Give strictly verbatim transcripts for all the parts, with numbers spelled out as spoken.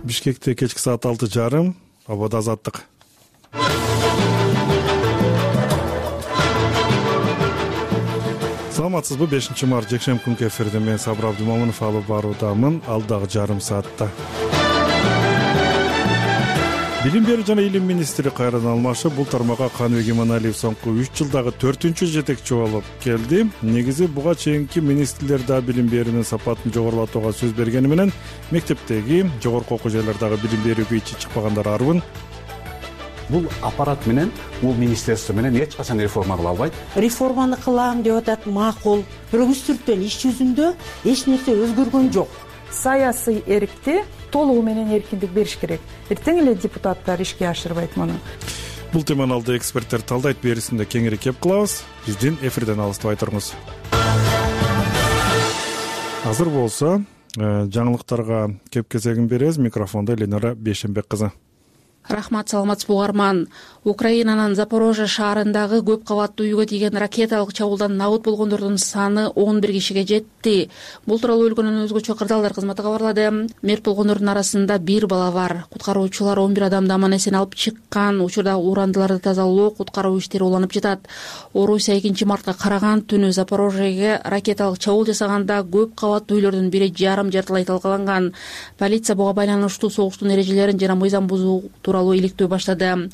Бишкекте кечки саат алты жарым, абада азаттык. Саламатсызбы? бешинчи март жекшемби күнкү эфирде мен Сабыр Абдымомунов алып баруудамын. Алдагы жарым саатта Билим берүү жана илим министри Кайран Алмашев бул тармакка Каныбек Иманалиев соңку үч жылдагы төртүнчү жетекчи болуп келди. Негизи буга чейинки министрлер да билим берүүнүн сапатын жогорулатууга сөз бергени менен мектептеги, жогорку окуу жайлардагы билим берүүгө ичи чыкпагандар арбын. Бул аппарат менен, бул министерство менен эч качан реформа кыла албайт. Реформаны кылам деп атат, макул. Бирок үстүртөн иш жүзүндө эч нерсе өзгөргөн жок. Саясий эркти толугу менен эркиндик бериш керек. Эртең эле депутаттар ишке ашырбайт муну. Бул теманы алды эксперттер талдайт, берисинде кеңири кеп кылабыз. Биздин эфирден алыстабай туруңуз. Азыр болсо жаңылыктарга кеп кезегин беребиз. Микрофондо Ленара Бейшенбек кызы. Рахмат, саламатсызбы угарман. Украинанын Запорожье шаарындагы көп кабаттуу үйгө тийген ракеталык чабуулдан набыт болгондордун саны он бир кишиге жетти. Бул тууралуу өлкөнүн өзгөчө кырдаалдар кызматы кабарлады. Мерт болгондордун арасында бир бала бар. Куткаруучулар он бир адамды аман эсен алып чыккан. Учурда урандыларды тазалоо, куткаруу иштери уланып жатат. Орусия экинчи мартка караган түнү Запорожьеге ракеталык чабуул жасаганда көп кабаттуу үйлөрдүн бири жарым жартылай талкаланган. Полиция буга байланыштуу согуштун эрежелерин жана мыйзам бузуу тууралуу иликтөө баштады.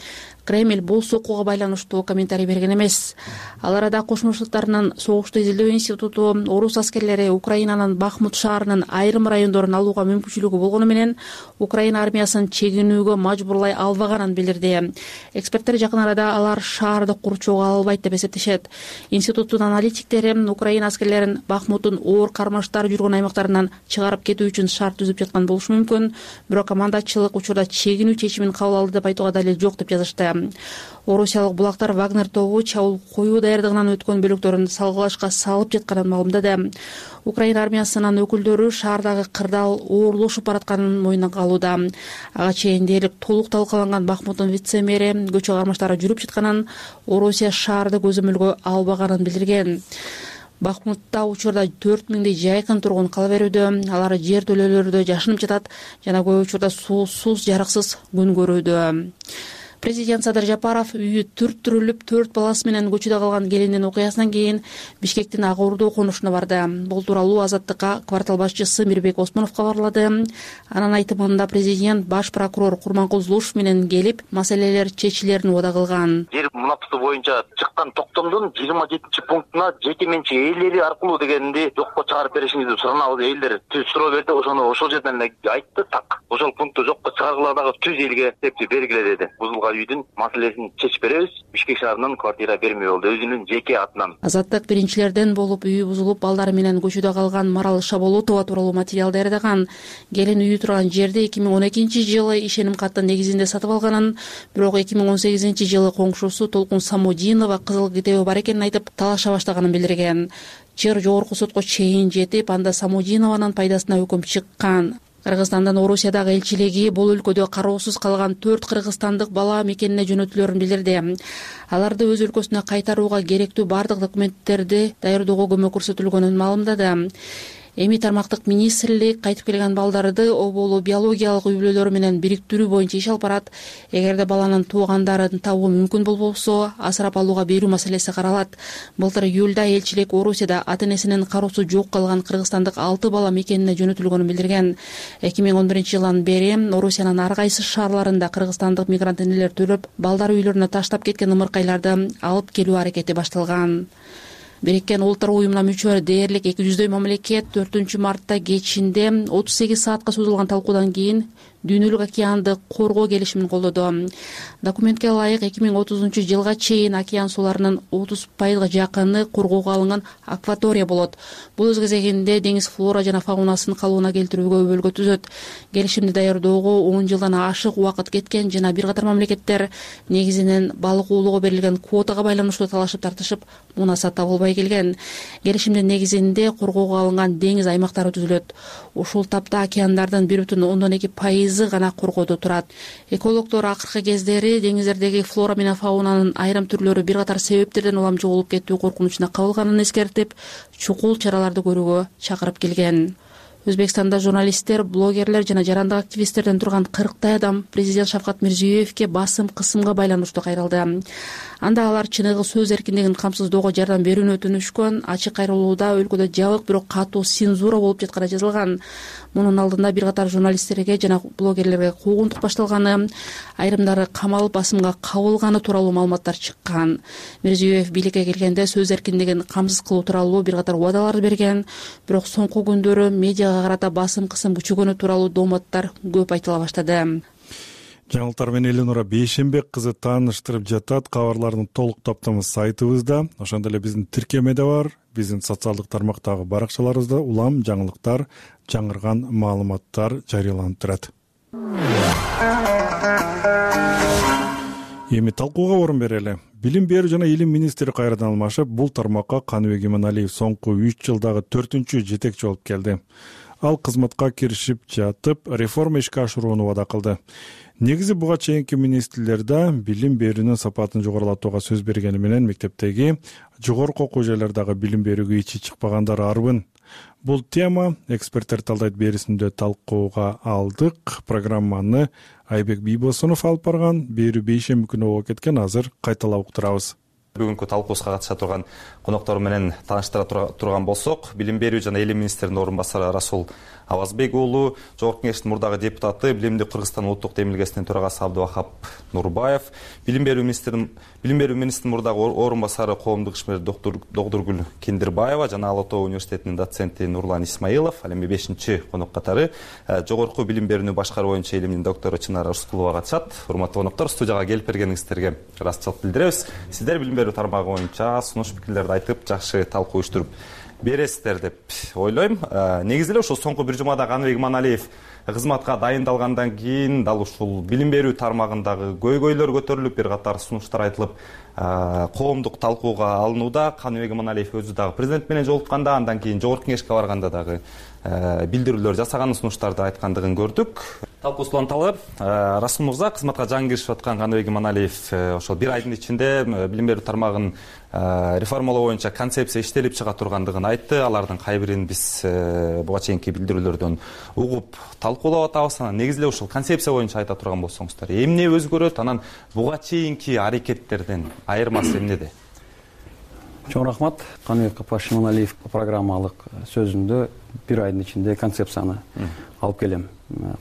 Кремль бул сокууга байланыштуу комментарий берген эмес. Ал арада Кошмо Штаттарынын согушту изилдөө институту орус аскерлери Украинанын Бахмут шаарынын айрым райондорун алууга мүмкүнчүлүгү болгону менен Украина армиясын чегинүүгө мажбурлай албаганын билдирди. Эксперттер жакын арада алар шаарды курчоого ала албайт деп эсептешет. Институттун аналитиктери Украина аскерлерин Бахмуттун оор кармаштар жүргөн аймактарынан чыгарып кетүү үчүн шарт түзүп жаткан болушу мүмкүн. Бирок командачылык учурда чегинүү чечимин кабыл алды деп айтууга далил жок деп жазышты. Орусиялык булактар Вагнер тобу чабуул коюу даярдыгынан өткөн бөлүктөрүн салгылашка салып жатканын маалымдады. Украина армиясынын өкүлдөрү шаардагы кырдаал оорлошуп баратканын мойнуна алууда. Ага чейин дээрлик толук талкаланган Бахмуттун вице-мэри көчө кармаштары жүрүп жатканын, Орусия шаарды көзөмөлгө албаганын билдирген. Бахмутта учурда төрт миңдей жайкын тургун кала берүүдө, алар жер төлөөлөрдө жашынып жатат жана көп учурда суусуз, жарыксыз күн көрүүдө. Президент Садыр Жапаров үйү түрттүрүлүп, төрт баласы менен көчүдө калган келиндин окуясынан кийин Бишкектин Ак Ордо конушуна барды. Бул тууралуу Азаттыкка квартал башчысы Мирбек Осмонов кабарлады. Анын айтымында президент баш прокурор Курманкул Зулушев менен келип, маселелер чечилерин убада кылган. Жер мунапты боюнча чыккан токтомдун жыйырма жетинчи пунктуна жеке менчик ээлери аркылуу дегенди жокко чыгарып беришиңизди суранабыз. Элдер түз суроо берди, ошону ошол жерден эле айтты, так. Ошол пункту жокко чыгаргыла дагы түз элге септи бергиле деди. Үйдүн маселесин чечип беребиз. Бишкек шаарынан квартира бермей болду, өзүнүн жеке атынан. Азаттык биринчилерден болуп үйү бузулуп, балдары менен көчүдө калган Марал Шаболотова тууралуу материал даярдаган. Келин үйү турган жерди эки миң он экинчи жылы ишеним каттын негизинде сатып алганын, бирок эки миң он сегизинчи жылы коңшусу Толкун Самудинова кызыл китеби бар экенин айтып, талаша баштаганын билдирген. Жер жогорку сотко чейин жетип, анда Самудинованын пайдасына өкүм чыккан. Кыргызстандын Орусиядагы элчилиги бул өлкөдө кароосуз калган төрт кыргызстандык бала мекенине жөнөтүлөрүн билдирди. Аларды өз өлкөсүнө кайтарууга керектүү бардык документтерди даярдоого көмөк көрсөтүлгөнүн маалымдады. Эми тармактык министрлик кайтып келген балдарды оболу биологиялык үй бүлөлөрү менен бириктирүү боюнча иш алып барат. Эгерде баланын туугандарын табуу мүмкүн болбосо, асырап алууга берүү маселеси каралат. Былтыр июлда элчилик Орусияда ата-энесинин кароосу жок калган кыргызстандык алты бала мекенине жөнөтүлгөнүн билдирген. эки миң он биринчи жылдан бери Орусиянын ар кайсы шаарларында кыргызстандык мигрант энелер төлөп, балдары үйлөрүнө таштап кеткен ымыркайларды алып келүү аракети башталган. Бириккен Улуттар уюмуна мүчө дээрлик эки жүздөй мамлекет төртүнчү мартта кечинде отуз сегиз саатка созулган талкуудан кийин Дүйнөлүк океанды коргоо келишимин колдоду. Документке ылайык эки миң отузунчу жылга чейин океан сууларынын отуз пайызга жакыны коргоого алынган акватория болот. Бул өз кезегинде деңиз флора жана фаунасын калыбына келтирүүгө өбөлгө түзөт. Келишимди даярдоого он жылдан ашык убакыт кеткен жана бир катар мамлекеттер негизинен балык уулоого берилген квотага байланыштуу талашып тартышып, мунаса табылбай келген. Келишимдин негизинде коргоого алынган деңиз аймактары түзүлөт. Ушул тапта океандардын бир бүтүн ондон эки пайызы гана коргоодо турат. Экологдор акыркы кездери деңиздердеги флора менен фаунанын айрым түрлөрү бир катар себептерден улам жоголуп кетүү коркунучуна кабылганын эскертип, чукул чараларды көрүүгө чакырып келген. Өзбекстанда журналисттер, блогерлер жана жарандык активисттерден турган кырктай адам президент Шавкат Мирзиёевке басым кысымга байланыштуу кайрылды. Анда алар чыныгы сөз эркиндигин камсыздоого жардам берүүнү өтүнүшкөн. Ачык кайрылууда өлкөдө жабык, бирок катуу цензура болуп жатканы жазылган. Мунун алдында бир катар журналисттерге жана блогерлерге куугунтук башталганы, айрымдары камалып басымга кабылганы тууралуу маалыматтар чыккан. Мирзиёев бийликке келгенде сөз эркиндигин камсыз кылуу тууралуу бир катар убадалар берген, бирок соңку күндөрү медиага карата басым кысым күчөгөнү тууралуу дооматтар көп айтыла баштады. Жаңылыктар менен Эленора Бейшенбек кызы тааныштырып жатат. Кабарлардын толук топтому сайтыбызда, ошондой эле биздин тиркемеде бар, биздин социалдык тармактагы баракчаларыбызда улам жаңылыктар, жаңырган маалыматтар жарыяланып турат. Эми талкууга орун берели. Билим берүү жана илим министри кайрадан алмашып, бул тармакка Каныбек Иманалиев соңку үч жылдагы төртүнчү жетекчи болуп келди. Ал кызматка киришип жатып, реформа ишке ашырууну убада кылды. Негизи буга чейинки министрлерде билим берүүнүн сапатын жогорулатууга сөз бергени менен мектептеги жогорку окуу жайлардагы билим берүүгө ичи чыкпагандар арбын. Бул тема эксперттер талдайт берүүсүндө талкууга алдык. Программаны Айбек Бийбосунов алып барган. Берүү бейшемби күнү болуп кеткен, азыр кайталап уктурабыз. Бүгүнкү талкуубузга катыша турган коноктор менен тааныштыра турган болсок, билим берүү жана илим министринин орун басары Расул Авазбек уулу, Жогорку Кеңештин мурдагы депутаты, Билимди Кыргызстан улуттук демилгесинин төрагасы Абдывахап Нурбаев, билим берүү министринин билим берүү министринин мурдагы орун басары коомдук ишмер доктор Догдургүл Киндирбаева жана Ала Тоо университетинин доценти Нурлан Исмаилов, ал эми бешинчи конок катары жогорку билим берүүнү башкаруу боюнча илимдин доктору Чынара Рыскулова катышат. Урматтуу коноктор, студияга келип бергениңиздерге ыраазычылык билдиребиз. Сиздер билим берүү тармагы боюнча сунуш пикирлерди айтып, жакшы талкуу уюштуруп бересиздер деп ойлойм. Негизи эле ушул соңку бир жумада Каныбек Иманалиев кызматка дайындалгандан кийин дал ушул билим берүү тармагындагы көйгөйлөр көтөрүлүп, бир катар сунуштар айтылып, коомдук талкууга алынууда. Каныбек Иманалиев өзү дагы президент менен жолукканда, андан кийин Жогорку Кеңешке барганда дагы билдирүүлөр жасаган, сунуштарды айткандыгын көрдүк. Талкуусун анталы Расул мырза, кызматка жаңы киришип аткан Каныбек Иманалиев ошол бир айдын ичинде билим берүү тармагын реформалоо боюнча концепция иштелип чыга тургандыгын айтты. Алардын кай бирин биз буга чейинки билдирүүлөрдөн угуп талкуулап атабыз. Анан негизи эле ушул концепция боюнча айта турган болсоңуздар, эмне өзгөрөт, анан буга чейинки аракеттерден айырмасы эмнеде? Чоң рахмат. Каныбек Апаш Иманалиев программалык сөзүндө бир айдын ичинде концепцияны алып келем,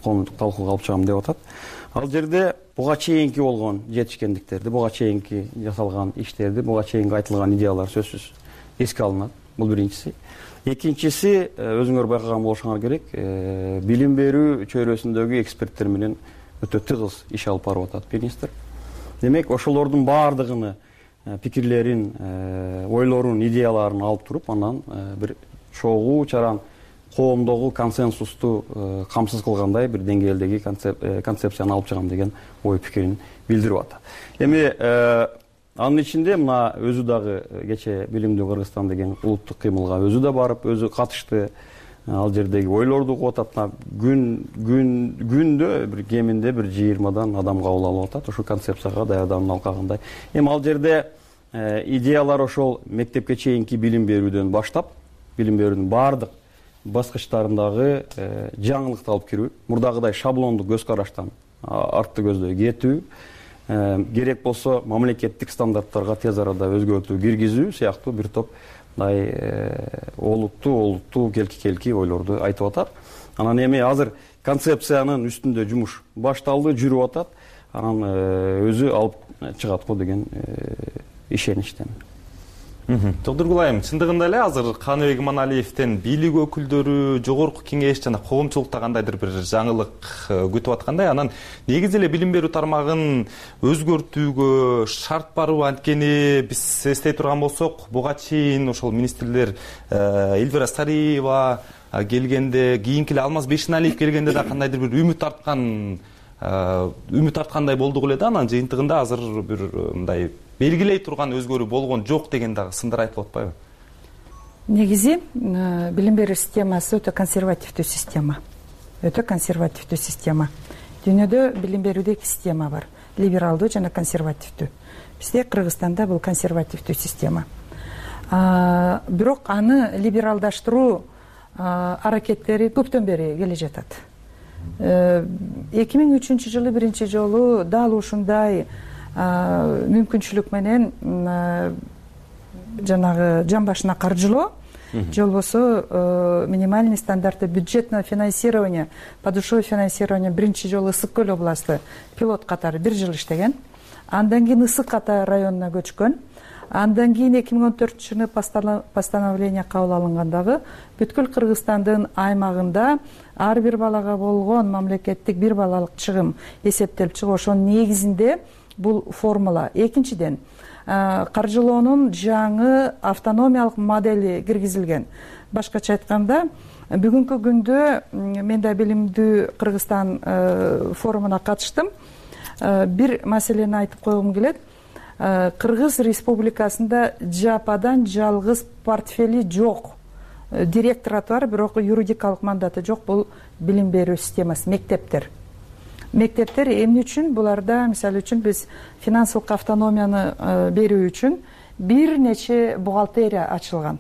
коомдук талкууга алып чыгам деп атат. Ал жерде буга чейинки болгон жетишкендиктерди, буга чейинки жасалган иштерди, буга чейинки айтылган идеялар сөзсүз эске алынат. Бул биринчиси. Экинчиси, өзүңөр байкаган болушуңар керек, билим берүү чөйрөсүндөгү эксперттер менен өтө тыгыз иш алып барып атат министр. Демек, ошолордун баардыгыны пикирлерин, ойлорун, идеяларын алып туруп, анан бир чогуу чаран коомдогу консенсусту камсыз кылгандай бир деңгээлдеги концепцияны алып чыгам деген ой пикирин билдирип атат. Эми анын ичинде мына өзү дагы кече Билимди Кыргызстан деген улуттук кыймылга өзү да барып, өзү катышты. Ал жердеги ойлорду угуп атат. Күн күн күндө бир кеминде бир жыйырмадан адам кабыл алып атат ошол концепцияга даярдануу алкагындай. Эми ал жерде идеялар ошол мектепке чейинки билим берүүдөн баштап, билим берүүнүн баардык баскычтарындагы жаңылыкты алып кирүү, мурдагыдай шаблондук көз караштан артты көздөй кетүү, керек болсо мамлекеттик стандарттарга тез арада өзгөртүү киргизүү сыяктуу бир топ мындай олуттуу олуттуу келки-келки ойлорду айтып атат. Анан эми азыр концепциянын үстүндө жумуш башталды, жүрүп атат. Анан өзү алып чыгат го деген ишеничтемин. Догдургул айым, чындыгында эле азыр Каныбек Иманалиевден бийлик өкүлдөрү, Жогорку Кеңеш жана коомчулукта кандайдыр бир жаңылык күтүп аткандай, анан негизи эле билим берүү тармагын өзгөртүүгө шарт барбы? Анткени биз эстей турган болсок, буга чейин ошол министрлер Эльвира Сариева келгенде, кийинки эле Алмаз Бейшеналиев келгенде да кандайдыр бир үмүт арткан үмүт арткандай болдук эле да, анан жыйынтыгында азыр бир мындай белгилей турган өзгөрүү болгон жок деген дагы сындар айтылып атпайбы? Негизи билим берүү системасы өтө консервативдүү система. Өтө консервативдүү система. Дүйнөдө билим берүүдө эки система бар. Либералдуу жана консервативдүү. Бизде Кыргызстанда бул консервативдүү система. Бирок аны либералдаштыруу аракеттери көптөн бери келе жатат. эки миң үчүнчү жылы биринчи жолу дал ушундай мүмкүнчүлүк менен жанагы жан башына каржылоо же болбосо минимальный стандарты бюджетного финансирования, подушевое финансирование биринчи жолу Ысык Көл областы пилот катары бир жыл иштеген. Андан кийин Ысык Ата районуна көчкөн. Андан кийин эки миң он төртүнчү жылы постановление кабыл алынгандагы бүткүл Кыргызстандын аймагында ар бир балага болгон мамлекеттик бир балалык чыгым эсептелип чыгып, ошонун негизинде бул формула. Экинчиден, каржылоонун жаңы автономиялык модели киргизилген. Башкача айтканда, бүгүнкү күндө мен да билимдүү Кыргызстан форумуна катыштым. Бир маселени айтып койгум келет. Кыргыз Республикасында жападан жалгыз портфели жок директораты бар, бирок юридикалык мандаты жок. Бул билим берүү системасы, мектептер. Мектептер эмне үчүн? Буларда, мисалы үчүн, биз финансылык автономияны берүү үчүн бир нече бухгалтерия ачылган.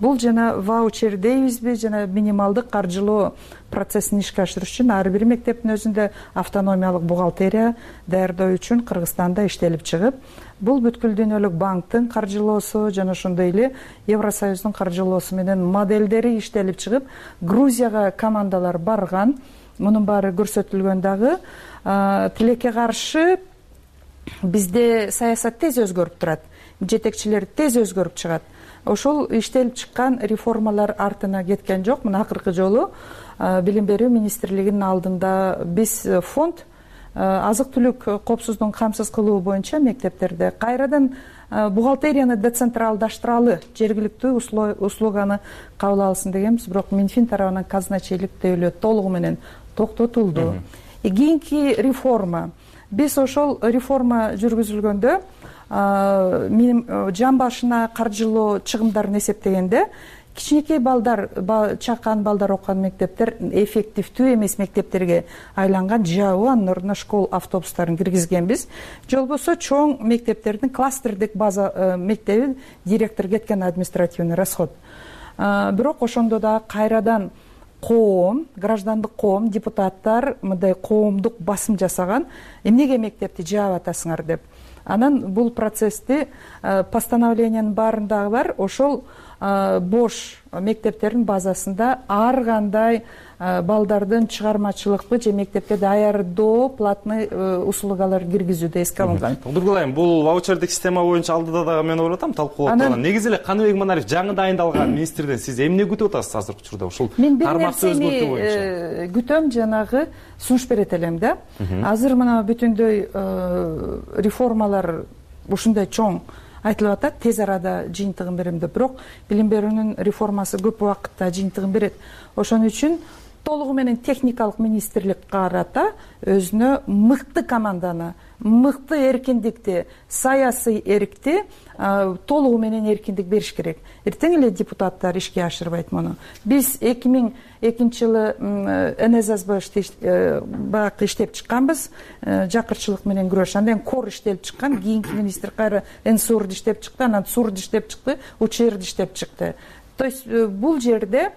Бул жана ваучер дейбизби, жана минималдык каржылоо процессин ишке ашырыш үчүн ар бир мектептин өзүндө автономиялык бухгалтерия даярдоо үчүн Кыргызстанда иштелип чыгып, бул бүткүл дүйнөлүк банктын каржылоосу жана ошондой эле Евросоюздун каржылоосу менен модельдери иштелип чыгып, Грузияга командалар барган. Мунун баары көрсөтүлгөн дагы. Тилекке каршы бизде саясат тез өзгөрүп турат, жетекчилер тез өзгөрүп чыгат. Ошол иштелип чыккан реформалар артына кеткен жок. Мына акыркы жолу билим берүү министрлигинин алдында биз фонд азык-түлүк коопсуздугун камсыз кылуу боюнча мектептерде кайрадан бухгалтерияны децентралдаштыралы, жергиликтүү услуганы кабыл алсын дегенбиз, бирок Минфин тарабынан казначейлик тейлөө толугу менен токтотулду. Кийинки реформа. Биз ошол реформа жүргүзүлгөндө жан башына каржылоо чыгымдарын эсептегенде кичинекей балдар, чакан балдар окуган мектептер эффективдүү эмес мектептерге айланган, жабы анын ордуна школ автобустарын киргизгенбиз. Же болбосо чоң мектептердин кластердик база мектеби директор кеткен, административный расход. Бирок ошондо да кайрадан коом, граждандык коом, депутаттар мындай коомдук басым жасаган, эмнеге мектепти жаап атасыңар деп. Анан бул процессти постановлениянын баарындагы бар, ошол бош мектептердин базасында ар кандай балдардын чыгармачылыкпы же мектепке даярдоо платный услугалар киргизүүдө эске алынган. Тодургулайм, бул ваучердик система боюнча алдыда дагы мен ойлотам талкуулап турган. Негизи эле Каныбек Маналиев жаңы дайындалган министрден сиз эмне күтүп атасыз азыркы учурда? Ушул тармакты өзгөртүү боюнча. Мен күтөм, жанагы сунуш берет элем да. Азыр мына бүтүндөй реформалар ушундай чоң айтылып атат, тез арада жыйынтыгын берем деп. Бирок билим берүүнүн реформасы көп убакытта жыйынтыгын берет. Ошон үчүн толугу менен техникалык министрлик карата өзүнө мыкты команданы, мыкты эркиндикти, саясий эркти толугу менен эркиндик бериш керек. Эртең эле депутаттар ишке ашырбайт муну. Биз эки миң экинчи жылы НССБ бак иштеп чыкканбыз, жакырчылык менен күрөш. Андан кор иштелип чыккан, кийинки министр кайра НСУРду иштеп чыкты, анан СУРду иштеп чыкты, УЧРду иштеп чыкты. То есть бул жерде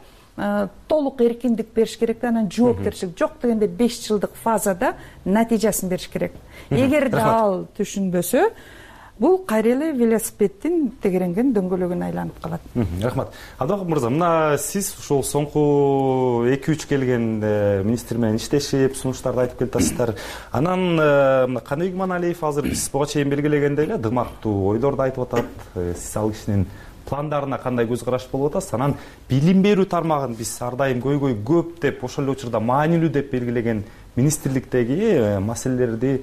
толук эркиндик бериш керек, анан жоопкерчилик жок дегенде беш жылдык фазада натыйжасын бериш керек. Эгер да ал түшүнбөсө, бул кайра эле велосипеддин тегеренген дөңгөлөгүнө айланып калат. Рахмат. Абдыбакыт мырза, мына сиз ушул соңку эки үч келген министр менен иштешип, сунуштарды айтып келатасыздар. Анан Каныбек Маналиев азыр биз буга чейин белгилегендей эле дымактуу ойлорду айтып атат. Сиз ал кишинин пландарына кандай көз караш болуп атасыз? Анан билим берүү тармагын биз ар дайым көйгөй көп деп, ошол эле учурда маанилүү деп белгилеген министрликтеги маселелерди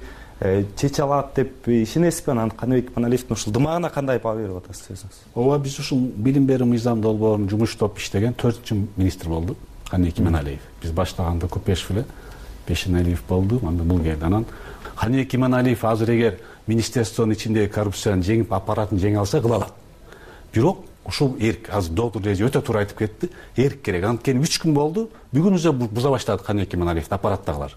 чече алат деп ишенесизби? Анан Каныбек Маналиевдин ушул дымагына кандай баа берип атасыз өзүңүз? Ооба, биз ушул билим берүү мыйзам долбоорун жумуштап иштеген төртүнчү министр болду Каныбек Маналиев. Биз баштаганда Купешев эле Бешеналиев болду, андан бул келди. Анан Каныбек Маналиев азыр эгер министерствонун ичиндеги коррупцияны жеңип, аппаратын жеңе алса кыла алат. Бирок ушул эрк, азыр доктор Рези өтө туура айтып кетти, эрк керек. Анткени үч күн болду, бүгүн уже буза баштады Каныбек Маналиевди аппараттагылар.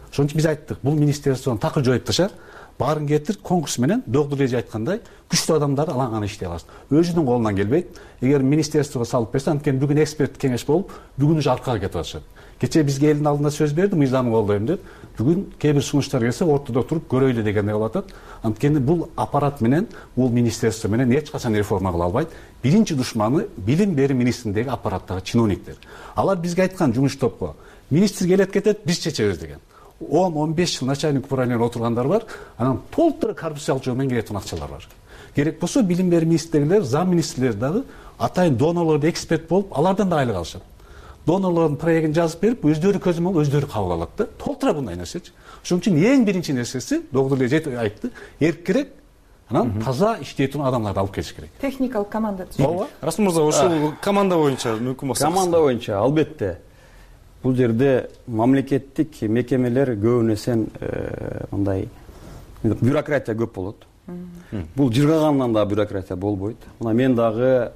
Ошон үчүн биз айттык, бул министерствону такыр жоюп ташар, баарын кетир конкурс менен доктор эже айткандай күчтүү адамдар алаңган иштей аласыз. Өзүнүн колунан келбейт. Эгер министерствого салып берсе, анткени бүгүн эксперт кеңеш болуп, бүгүн уже аркага кетип атышат. Кечээ бизге элдин алдында сөз берди, мыйзамды колдойм деп. Бүгүн кээ бир сунуштар келсе, ортодо туруп көрөйлү дегендей болуп атат. Анткени бул аппарат менен, бул министерство менен эч качан реформа кыла албайт. Биринчи душманы билим берүү министрлигиндеги аппараттагы чиновниктер. Алар бизге айткан жумуш топко министр келет кетет, биз чечебиз деген. он он беш жыл начальник управления отургандар бар, анан толтура коррупциялык жол менен келеткен акчалар бар. Керек болсо билим берүү министрлигилер, зам министрлер дагы атайын донорлордо эксперт болуп, алардан да айлык алышат. Донорлордун проектин жазып берип, өздөрү көзөмөл алып, өздөрү кабыл алат да. Толтура мындай нерсечи. Ошон үчүн эң биринчи нерсеси, доктор эже айтты, эркирээк, анан таза иштей турган адамдарды алып келиш керек. Техникалык команда. Ооба. Расул мырза, ошол команда боюнча мүмкүн болсо. Команда боюнча албетте. Бул жерде мамлекеттик мекемелер көбүн эсен мындай бюрократия көп болот. Бул жыргагандан да бюрократия болбойт. Мына мен дагы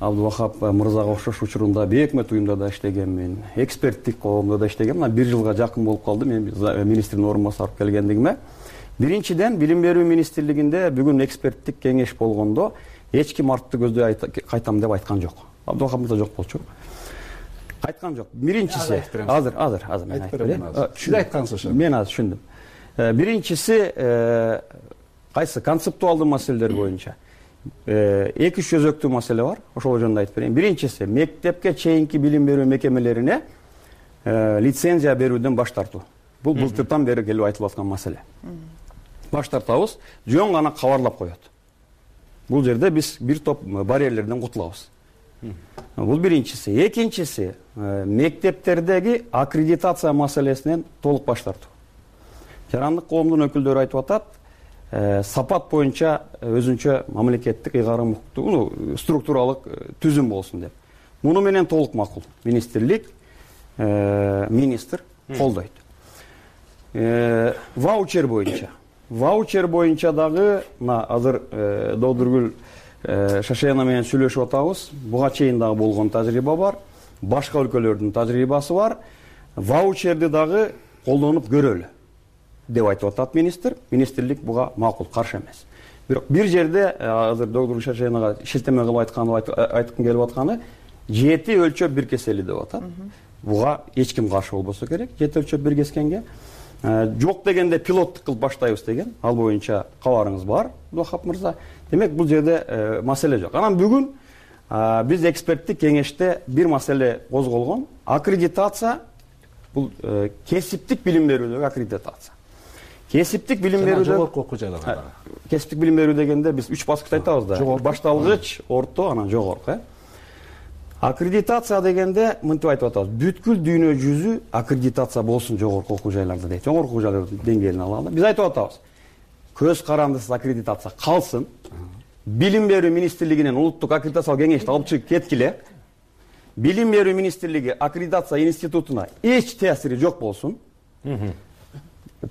Абдувахап мырзага окшош учурунда бейөкмөт уюмда да иштегенмин, эксперттик коомдо да иштегем. Мына бир жылга жакын болуп калды мен министрдин орун басары болуп келгендигиме. Биринчиден, билим берүү министрлигинде бүгүн эксперттик кеңеш болгондо эч ким артты көздөй кайтам деп айткан жок. Абдувахап мырза жок болчу. Айткан жок. Биринчиси, азыр, азыр, азыр мен айтып берейин. Сиз айткансыз ошо. Мен азыр түшүндүм. Биринчиси, кайсы концептуалдуу маселелер боюнча эки үч өзөктүү маселе бар. Ошол жөнүндө айтып берейин. Биринчиси, мектепке чейинки билим берүү мекемелерине лицензия берүүдөн баш тартуу. Бул былтыртан бери келип айтылып аткан маселе. Баш тартабыз, жөн гана кабарлап коет. Бул жерде биз бир топ барьерлерден кутулабыз. Бул биринчиси. Экинчиси, мектептердеги аккредитация маселесинен толук баш тартуу. Жарандык коомдун өкүлдөрү айтып атат, сапат боюнча өзүнчө мамлекеттик ыйгарым укуктуу структуралык түзүм болсун деп. Муну менен толук макул. Министрлик, министр колдойт. Ваучер боюнча. Ваучер боюнча дагы мына азыр Додургүл Шашена менен сүйлөшүп атабыз. Буга чейин дагы болгон тажрыйба бар. Башка өлкөлөрдүн тажрыйбасы бар. Ваучерди дагы колдонуп көрөлү деп айтып атат министр. Министрлик буга макул, каршы эмес. Бирок бир жерде азыр Додургүл Шашенага шилтеме кылып айтканы айткым келип атканы жети өлчөп бир кесели деп атат. Буга эч ким каршы болбосо керек. Жети өлчөп бир кескенге жок дегенде пилоттук кылып баштайбыз деген. Ал боюнча кабарыңыз бар, Абдувахап мырза. Демек бул жерде маселе жок. Анан бүгүн биз эксперттик кеңеште бир маселе козголгон. Аккредитация бул кесиптик билим берүүдөгү аккредитация. Кесиптик билим берүүдө жогорку окуу жайларда. Кесиптик билим берүү дегенде биз үч баскычты айтабыз да. Башталгыч, орто, анан жогорку. Аккредитация дегенде мынтип айтып атабыз. Бүткүл дүйнө жүзү аккредитация болсун жогорку окуу жайларда дейт. Жогорку окуу жайлардын деңгээлин алалы. Биз айтып атабыз. Көз карандысыз аккредитация калсын. Билим берүү министрлигинен улуттук аккредитациялык кеңешти алып чыгып кеткиле. Билим берүү министрлиги аккредитация институтуна эч таасири жок болсун.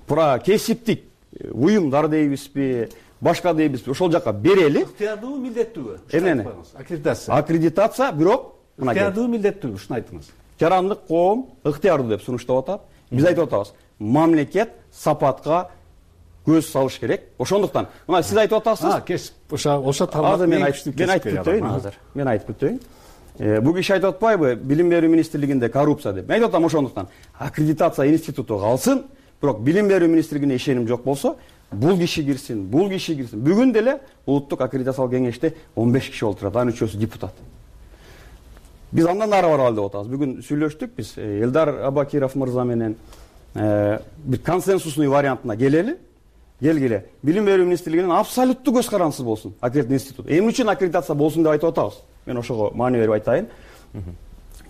Про кесиптик уюмдар дейбизби, башка дейбизби, ошол жака берели. Ыктыярдуу, милдеттүүбү? Эмне? Аккредитация. Аккредитация, бирок ыктыярдуу, милдеттүүбү? Ушуну айтыңыз. Жарандык коом ыктыярдуу деп сунуштап атат. Биз айтып атабыз. Мамлекет сапатка көз салыш керек. Ошондуктан, мына сиз айтып атасыз. А, кесип, ошо ошо тармак мен айтып мен айтып өтөйүн азыр. Мен айтып өтөйүн. Бул киши айтып атпайбы, билим берүү министрлигинде коррупция деп. Мен айтып атам ошондуктан. Аккредитация институту калсын, бирок билим берүү министрлигине ишеним жок болсо, бул киши кирсин, бул киши кирсин. Бүгүн деле улуттук аккредитациялык кеңеште он беш киши отурат, анын үчөөсү депутат. Биз андан ары баралы деп атабыз. Бүгүн сүйлөштүк биз Элдар Абакиров мырза менен бир консенсусный вариантына келели. Келгиле. Билим берүү министрлигинен абсолюттуу көз карандысыз болсун аккредитация институт. Эмне үчүн аккредитация болсун деп айтып атабыз. Мен ошого маани берип айтайын.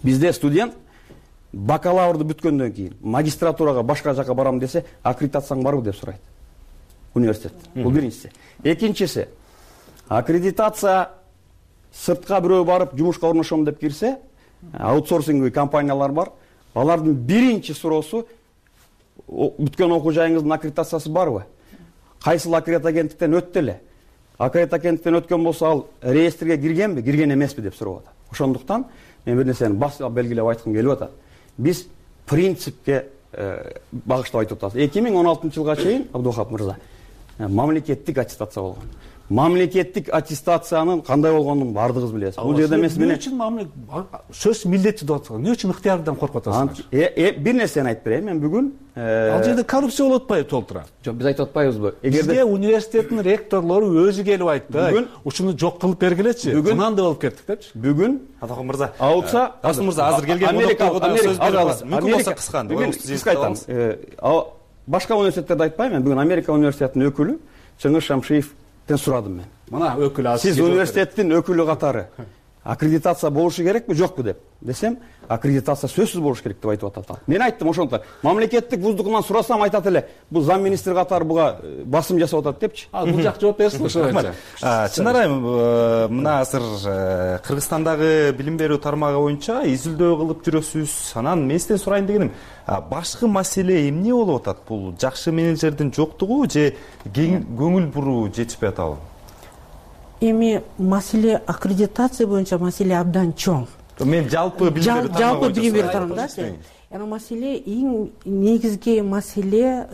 Бизде студент бакалаврды бүткөндөн кийин магистратурага башка жака барам десе, аккредитацияң барбы деп сурайт. Университет. Бул биринчиси. Экинчиси, аккредитация сыртка бирөө барып жумушка орношом деп кирсе, аутсорсинговый компаниялар бар. Алардын биринчи суроосу бүткөн окуу жайыңыздын аккредитациясы барбы? Кайсыл аккредит агенттиктен өттү эле? Аккредит агенттиктен өткөн болсо ал реестрге киргенби, кирген эмеспи деп сурап атат. Ошондуктан мен бир нерсени басып белгилеп айткым келип атат. Биз принципке багыштап айтып атабыз. эки миң он алтынчы жылга чейин, Абдувахап мырза, мамлекеттик аттестация болгон. Мамлекеттик аттестациянын кандай болгонун баардыгыбыз билебиз. Бул жерде эмес эмне үчүн сөз милдетчи деп атасың? Эмне үчүн ыктыярдан коркуп атасың? Бир нерсени айтып берейин. Мен бүгүн ал жерде коррупция болуп атпайбы толтура? Жок, биз айтып атпайбызбы? Бизге университеттин ректорлору өзү келип айтты. Ушуну жок кылып бергилечи. Кынанды болуп кеттик депчи. Бүгүн Атакан мырза. Ауылса, Расул мырза азыр келген Америка сөз беребиз. Мүмкүн болсо кыска. Кыска айтам. Башка университеттерди айтпайм. Мен бүгүн Америка университетинин өкүлү Чыңгыз Шамшиевден сурадым мен. Мына өкүл аз. Сиз университеттин өкүлү катары аккредитация болушу керекпи, жокпу деп. Десем, аккредитация сөзсүз болуш керек деп айтып атат. Мен айттым ошондо. Мамлекеттик вуздугунан сурасам айтат эле, бул зам министр катары буга басым жасап атат депчи. А бул жак жооп берсин ошо боюнча. Чынар айым, мына азыр Кыргызстандагы билим берүү тармагы боюнча изилдөө кылып жүрөсүз. Анан мен сизден сурайын дегеним, башкы маселе эмне болуп атат? Бул жакшы менеджердин жоктугу же көңүл буруу жетишпей атабы? Эми маселе аккредитация боюнча маселе абдан чоң. Мен жалпы билим берүү тармагы жалпы билим берүү тармагында Эми маселе эң негизги маселе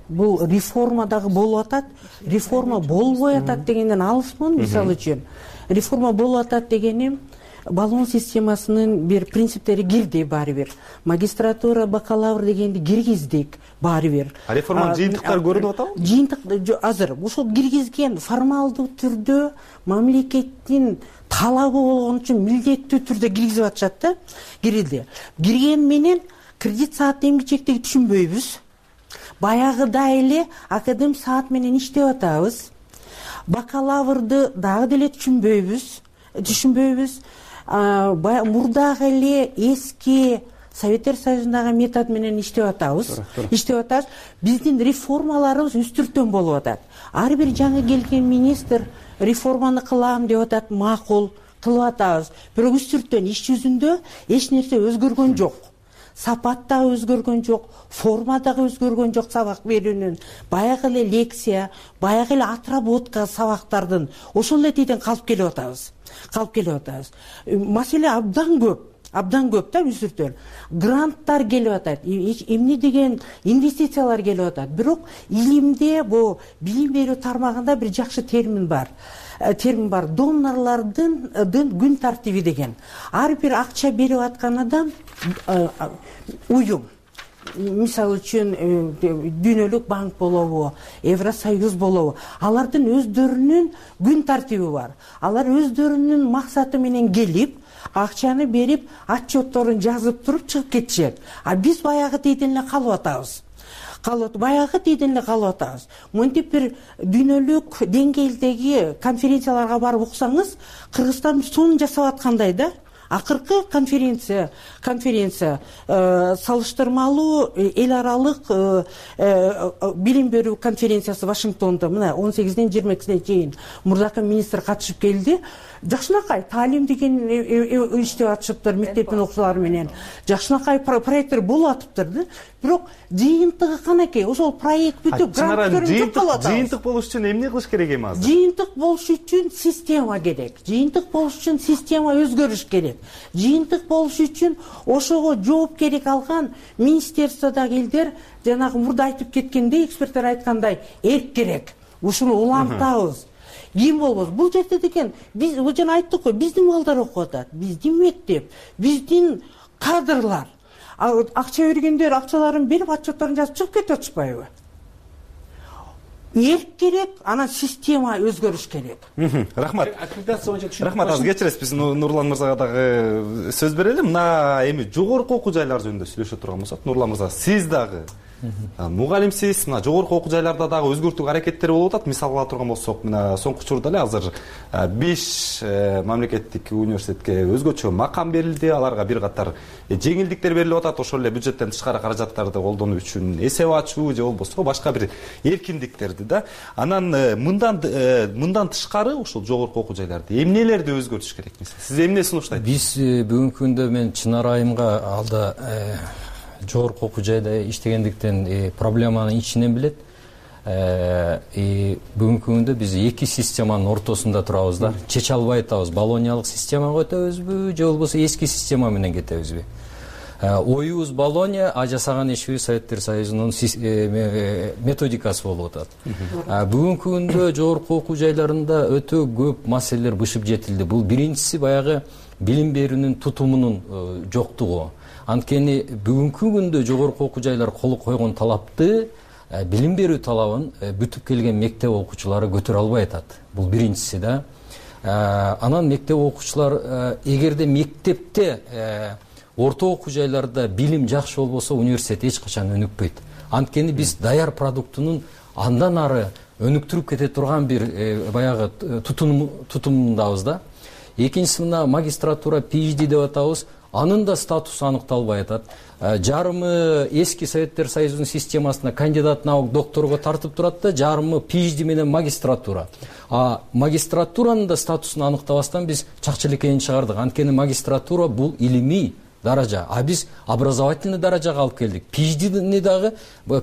бул реформадагы болуп атат. Реформа болбой атат дегенден алысмын. Мисалы үчүн реформа болуп атат дегеним баллон системасынын бир принциптери кирди баары бир. Магистратура, бакалавр дегенди киргиздик баары бир. Реформанын жыйынтыктары көрүнүп атабы? Жыйынтык азыр ушул киргизген формалдуу түрдө мамлекеттин талабы болгон үчүн милдеттүү түрдө киргизип атышат да. Кирилди. Кирген менен кредит саат эмгичектеги түшүнбөйбүз. Баягыда эле академ саат менен иштеп атабыз. Бакалаврды дагы деле түшүнбөйбүз. Түшүнбөйбүз. Мурдагы эле эски Советтер Союзундагы метод менен иштеп атабыз. Иштеп атабыз. Биздин реформаларыбыз үстүртөн болуп атат. Ар бир жаңы келген министр реформаны кылам деп атат, макул кылып атабыз. Бирок үстүртөн иш жүзүндө эч нерсе өзгөргөн жок. Сапат да өзгөргөн жок, форма дагы өзгөргөн жок сабак берүүнүн. Баягы эле лекция, баягы эле отработка сабактардын ошол эле тийден калып келип атабыз. Калып келип атабыз. Маселе абдан көп. Абдан көп да үстүртөн. Гранттар келип атат. Эмне деген инвестициялар келип атат. Бирок илимде бу билим берүү тармагында бир жакшы термин бар. Термин бар. Донорлардын күн тартиби деген. Ар бир акча берип аткан адам уюм. Мисалы үчүн Дүйнөлүк банк болобу, Евросоюз болобу, алардын өздөрүнүн күн тартиби бар. Алар өздөрүнүн максаты менен келип, акчаны берип, отчетторун жазып туруп чыгып кетишет. А биз баягы тийден эле калып атабыз. Калып, баягы тийден эле калып атабыз. Монтип бир дүйнөлүк деңгээлдеги конференцияларга барып уксаңыз, Кыргызстан сонун жасап аткандай да. Акыркы конференция, конференция э, салыштырмалуу эл аралык э, э, билим берүү конференциясы Вашингтонда мына он сегизинен жыйырма экисине чейин мурдакы министр катышып келди. Жакшынакай таалим деген иштеп атышыптыр мектептин окуучулары менен. Жакшынакай проекттер болуп атыптыр да. Бирок жыйынтыгы канакей? Ошол проект бүтүп грант көрүнүп калып атат. Жыйынтык болуш үчүн эмне кылыш керек эми азыр? Жыйынтык болуш үчүн система керек. Жыйынтык болуш үчүн система өзгөрүш керек. Жыйынтык болуш үчүн ошого жоопкердик алган министерстводогу элдер жанагы мурда айтып кеткендей, эксперттер айткандай, эрк керек. Ушуну улантабыз. Ким болбосун? Бул жерде деген биз бул жана айттык го, биздин балдар окуп атат, биздин мектеп, биздин кадрлар. Акча бергендер акчаларын берип, отчетторун жазып чыгып кетип атышпайбы? Эрк керек, анан система өзгөрүш керек. Рахмат. Аккредитация боюнча түшүнүк. Рахмат, азыр кечиресиз, биз Нурлан мырзага дагы сөз берели. Мына эми жогорку окуу жайлар жөнүндө сүйлөшө турган болсок, Нурлан мырза, сиз дагы мугалимсиз, мына жогорку окуу жайларда дагы өзгөртүү аракеттери болуп атат. Мисал ала турган болсок, мына соңку учурда эле азыр беш мамлекеттик университетке өзгөчө макам берилди. Аларга бир катар жеңилдиктер берилип атат. Ошол эле бюджеттен тышкары каражаттарды колдонуу үчүн эсеп ачуу же болбосо башка бир эркиндиктерди да. Анан мындан мындан тышкары ушул жогорку окуу жайларды эмнелерди өзгөртүш керек? Сиз эмне сунуштайсыз? Биз бүгүнкү күндө мен Чынар айымга алда жогорку окуу жайда иштегендиктен проблеманын ичинен билет. Бүгүнкү күндө биз эки системанын ортосунда турабыз да. Чече албай атабыз. Болониялык системага өтөбүзбү же болбосо эски система менен кетебизби? оюбуз Болония, а жасаган ишибиз Советтер Союзунун методикасы болуп атат. Бүгүнкү күндө жогорку окуу жайларында өтө көп маселелер бышып жетилди. Бул биринчиси баягы билим берүүнүн тутумунун жоктугу. Анткени бүгүнкү күндө жогорку окуу жайлар кол койгон талапты, билим берүү талабын бүтүп келген мектеп окуучулары көтөрө албай атат. Бул биринчиси да. Анан мектеп окуучулар эгерде мектепте орто окуу жайларда билим жакшы болбосо университет эч качан өнүкпөйт. Анткени биз даяр продуктунун андан ары өнүктүрүп кете турган бир баягы тутумундабыз да. Экинчиси мына магистратура, PhD деп атабыз. Анын да статусу аныкталбай атат. Жарымы эски Советтер Союзунун системасына кандидат наук докторго тартып турат да, жарымы PhD менен магистратура. А магистратуранын да статусун аныктабастан биз чакчылекейин чыгардык. Анткени магистратура бул илимий даража, а биз образовательный даражага алып келдик. PhD-ни дагы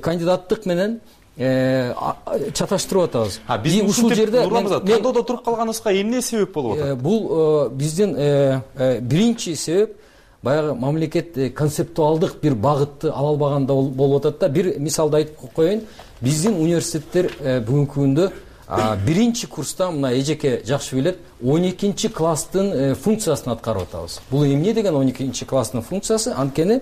кандидаттык менен чаташтырып атабыз. Биз ушул жерде тандоодо туруп калганыбызга эмне себеп болуп атат? Бул биздин биринчи себеп баягы мамлекет концептуалдык бир багытты ала албаганда болуп атат да. Бир мисалды айтып коеюн. Биздин университеттер бүгүнкү күндө биринчи курста мына эжеке жакшы билет, он экинчи класстын функциясын аткарып атабыз. Бул эмне деген он экинчи класстын функциясы? Анткени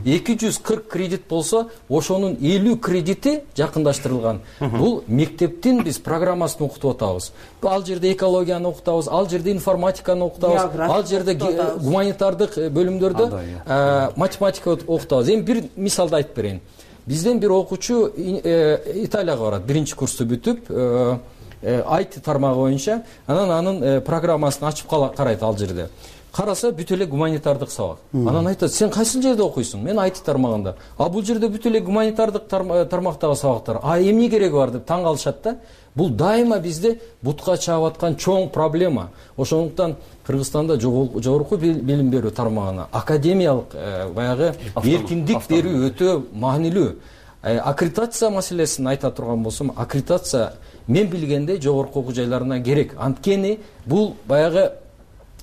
эки жүз кырк кредит болсо, ошонун элүү кредити жакындаштырылган. Бул мектептин биз программасын окутуп атабыз. Ал жерде экологияны окутабыз, ал жерде информатиканы окутабыз, ал жерде гуманитардык бөлүмдөрдө математика окутабыз. Эми бир мисалды айтып берейин. Бизден бир окуучу Италияга барат, биринчи курсту бүтүп, ай ти тармагы боюнча, анан анын программасын ачып карайт ал жерде. Караса бүт эле гуманитардык сабак. Анан айтат: "Сен кайсыл жерде окуйсуң?" "Мен ай ти тармагында." "А бул жерде бүт эле гуманитардык тармактагы сабактар. А эмне кереги бар?" деп таң калышат да. Бул дайыма бизде бутка чаап аткан чоң проблема. Ошондуктан Кыргызстанда жогорку билим берүү тармагына академиялык баягы эркиндик берүү өтө маанилүү. Аккредитация маселесин айта турган болсом, аккредитация мен билгенде жогорку окуу жайларына керек. Анткени бул баягы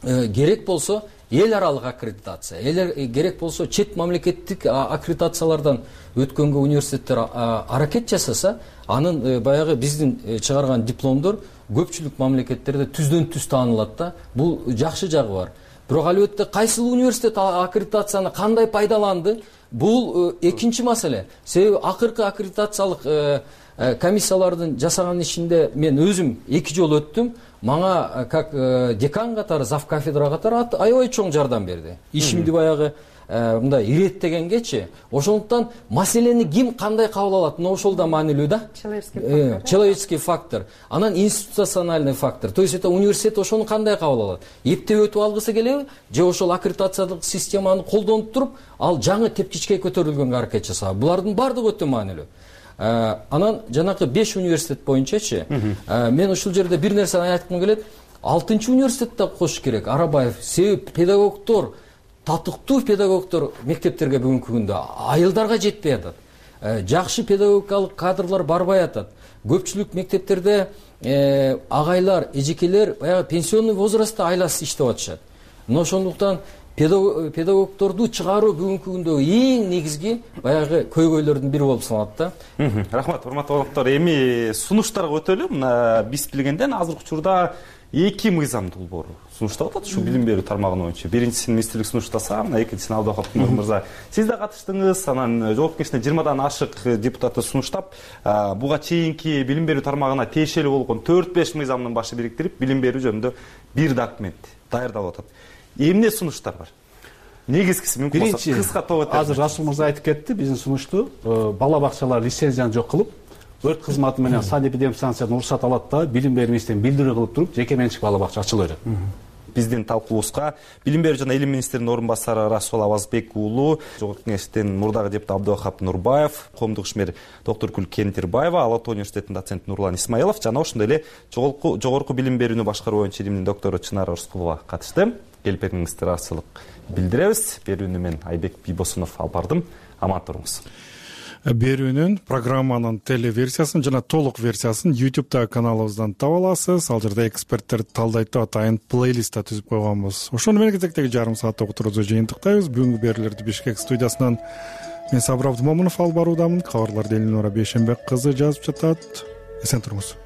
керек болсо эл аралык аккредитация, эл керек болсо чет мамлекеттик аккредитациялардан өткөнгө университеттер аракет жасаса, анын баягы биздин чыгарган дипломдор көпчүлүк мамлекеттерде түздөн түз таанылат да. Бул жакшы жагы бар. Бирок албетте кайсыл университет аккредитацияны кандай пайдаланды? Бул экинчи маселе. Себеби акыркы аккредитациялык комиссиялардын жасаган ишинде мен өзүм эки жолу өттүм. Мага как декан катары, зав кафедра катары аябай чоң жардам берди. Ишимди баягы мындай иреттегенгечи. Ошондуктан маселени ким кандай кабыл алат? Мына ошол да маанилүү да. Человеческий фактор. Анан институциональный фактор. То есть это университет ошону кандай кабыл алат? Эптеп өтүп алгысы келеби? Же ошол аккредитациялык системаны колдонуп туруп, ал жаңы тепкичке көтөрүлгөнгө аракет жасабы? Булардын баардыгы өтө маанилүү. Анан жанакы беш университет боюнчачы, мен ушул жерде бир нерсени айткым келет. алтынчы университетте кошуш керек. Арабаев, себеп педагогдор, татыктуу педагогдор мектептерге бүгүнкү күндө айылдарга жетпей атат. Жакшы педагогикалык кадрлар барбай атат. Көпчүлүк мектептерде агайлар, эжекелер баягы пенсионный возрастта айласыз иштеп атышат. Мына ошондуктан педагогдорду чыгаруу бүгүнкү күндөгү эң негизги баягы көйгөйлөрдүн бири болуп саналат да. Рахмат, урматтуу коноктор. Эми сунуштарга өтөлү. Мына биз билгенден азыркы учурда эки мыйзам долбоору сунуштап атат ушу билим берүү тармагы боюнча. Биринчисин министрлик сунуштаса, мына экинчисин Абдыкалык мырза сиз да катыштыңыз. Анан жогорку кеңеште жыйырмадан ашык депутаты сунуштап, буга чейинки билим берүү тармагына тиешелүү болгон төрт беш мыйзамдын башы бириктирип, билим берүү жөнүндө бир документ даярдап атат. Эмне сунуштар бар? Негизгиси мүмкүн болсо кыска топ өтөбүз. Азыр Расул мырза айтып кетти, биздин сунушту бала бакчалар лицензияны жок кылып, өрт кызматы менен санэпидемстанциядан уруксат алат да, билим берүү министринин билдирүү кылып туруп, жеке менчик бала бакча ачыла берет. Биздин талкуубузга билим берүү жана илим министринин орун басары Расул Авазбек уулу, жогорку кеңештин мурдагы депутаты Абдывахап Нурбаев, коомдук ишмер доктор Кентербаева, Ала Тоо университетинин доценти Нурлан Исмаилов жана ошондой эле жогорку билим берүүнү башкаруу боюнча илимдин доктору Чынара Рыскулова катышты. Келип бериңиздер арчылык билдиребиз. Берүүнү мен Айбек Бийбосунов алып бардым. Аман туруңуз. берүүнүн программанын телеверсиясын жана толук версиясын ютубтагы каналыбыздан таба аласыз. Ал жерде эксперттер талдайт деп атайын плейлист да түзүп койгонбуз. Ошону менен кезектеги жарым сааттык отурубузду жыйынтыктайбыз. Бүгүнкү берүүлөрдү Бишкек студиясынан мен Сабыр Абдымомунов алып баруудамын. Кабарларды Элнура Бейшенбек кызы жазып жатат. Эсен туруңуз.